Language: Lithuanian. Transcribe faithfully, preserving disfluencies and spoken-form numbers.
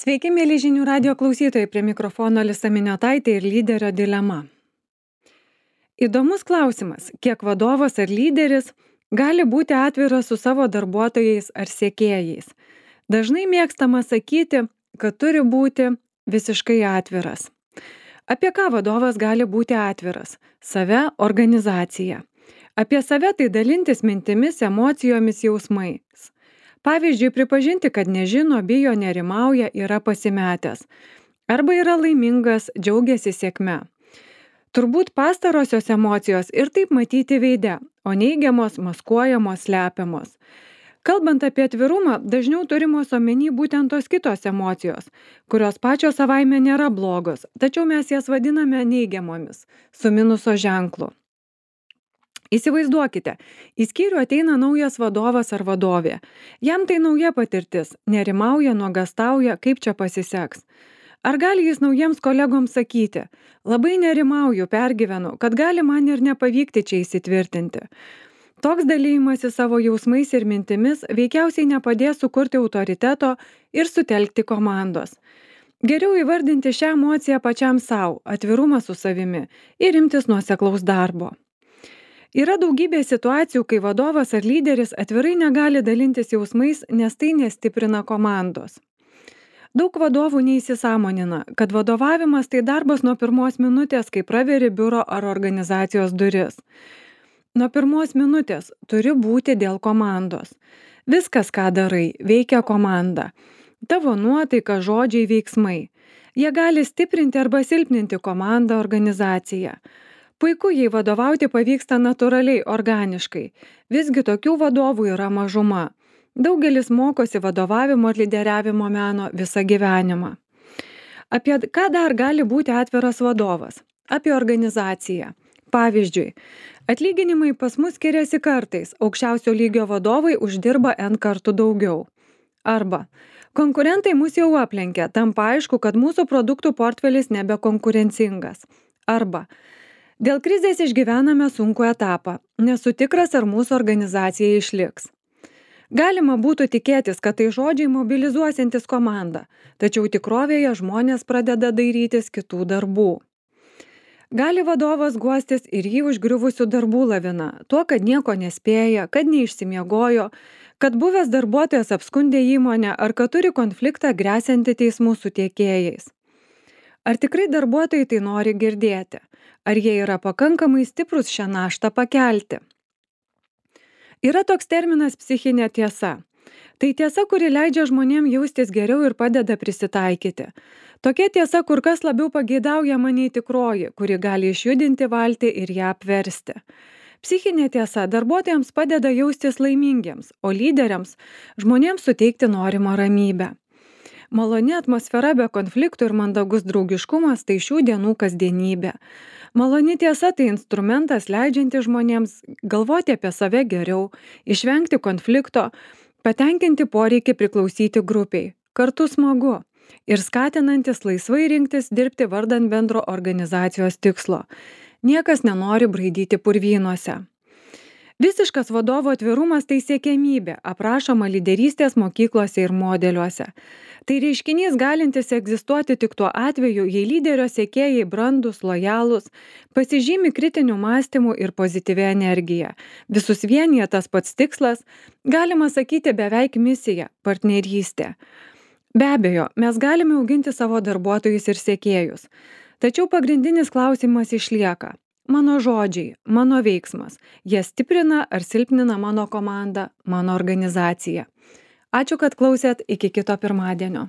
Sveiki, mėly žinių radio klausytojai, prie mikrofono Alisa Miniotaitė ir lyderio dilema. Įdomus klausimas, kiek vadovas ar lyderis gali būti atviras su savo darbuotojais ar sekėjais. Dažnai mėgstama sakyti, kad turi būti visiškai atviras. Apie ką vadovas gali būti atviras? Save, organizaciją. Apie save tai dalintis mintimis, emocijomis, jausmais. Pavyzdžiui, pripažinti, kad nežino, bijo, nerimauja, yra pasimetęs. Arba yra laimingas, džiaugiasi sėkme. Turbūt pastarosios emocijos ir taip matyti veide, o neigiamos, maskuojamos, slepiamos. Kalbant apie atvirumą, dažniau turimos omeny būtent tos kitos emocijos, kurios pačios savaime nėra blogos, tačiau mes jas vadiname neigiamomis, su minuso ženklu. Įsivaizduokite, į skyrių ateina naujas vadovas ar vadovė. Jam tai nauja patirtis, nerimauja, nuogastauja, kaip čia pasiseks. Ar gali jis naujiems kolegoms sakyti, labai nerimauju, pergyvenu, kad gali man ir nepavykti čia įsitvirtinti. Toks dalymasis savo jausmais ir mintimis veikiausiai nepadės sukurti autoriteto ir sutelkti komandos. Geriau įvardinti šią emociją pačiam savo, atvirumą su savimi ir imtis nuoseklaus darbo. Yra daugybė situacijų, kai vadovas ar lyderis atvirai negali dalintis jausmais, nes tai nestiprina komandos. Daug vadovų neįsisąmonina, kad vadovavimas tai darbas nuo pirmos minutės, kai praveri biuro ar organizacijos duris. Nuo pirmos minutės turi būti dėl komandos. Viskas, ką darai, veikia komanda. Tavo nuotaika, žodžiai, veiksmai. Jie gali stiprinti arba silpninti komandą, organizaciją. Puiku, jei vadovauti pavyksta natūraliai, organiškai. Visgi tokių vadovų yra mažuma. Daugelis mokosi vadovavimo ir lyderiavimo meno visą gyvenimą. Apie ką dar gali būti atviras vadovas? Apie organizaciją. Pavyzdžiui, atlyginimai pas mus skiriasi kartais, aukščiausio lygio vadovai uždirba N kartų daugiau. Arba konkurentai mus jau aplenkė, tampa aišku, kad mūsų produktų portfelis nebekonkurencingas. Arba dėl krizės išgyvename sunkų etapą, nesu tikras, ar mūsų organizacija išliks. Galima būtų tikėtis, kad tai žodžiai mobilizuosiantis komandą, tačiau tikrovėje žmonės pradeda dairytis kitų darbų. Gali vadovas guostis ir jį užgriuvusių darbų lavina, tuo, kad nieko nespėja, kad neišsimiegojo, kad buvęs darbuotojas apskundė įmonę ar kad turi konfliktą gresiantį teismų su tiekėjais. Ar tikrai darbuotojai tai nori girdėti? Ar jie yra pakankamai stiprus šią naštą pakelti? Yra toks terminas psichinė tiesa. Tai tiesa, kuri leidžia žmonėms jaustis geriau ir padeda prisitaikyti. Tokia tiesa kur kas labiau pageidaujama nei tikroji, kuri gali išjudinti valtį ir ją apversti. Psichinė tiesa darbuotojams padeda jaustis laimingiems, o lyderiams žmonėms suteikti norimą ramybę. Maloni atmosfera be konfliktų ir mandagus draugiškumas tai šių dienų kasdienybė. Maloni tiesa tai instrumentas leidžiantis žmonėms galvoti apie save geriau, išvengti konflikto, patenkinti poreikį priklausyti grupiai, kartu smagu ir skatinantis laisvai rinktis dirbti vardan bendro organizacijos tikslo. Niekas nenori braidyti purvynuose. Visiškas vadovo atvirumas tai siekiamybė, aprašoma lyderystės mokyklose ir modeliuose. Tai reiškinys galintis egzistuoti tik tuo atveju, jei lyderio sekėjai brandūs, lojalūs, pasižymi kritiniu mąstymu ir pozityvia energija. Visus vienija tas pats tikslas, galima sakyti beveik misija, partnerystė. Be abejo, mes galime auginti savo darbuotojus ir sekėjus. Tačiau pagrindinis klausimas išlieka. Mano žodžiai, mano veiksmas, jie stiprina ar silpnina mano komandą, mano organizaciją. Ačiū, kad klausėt, iki kito pirmadienio.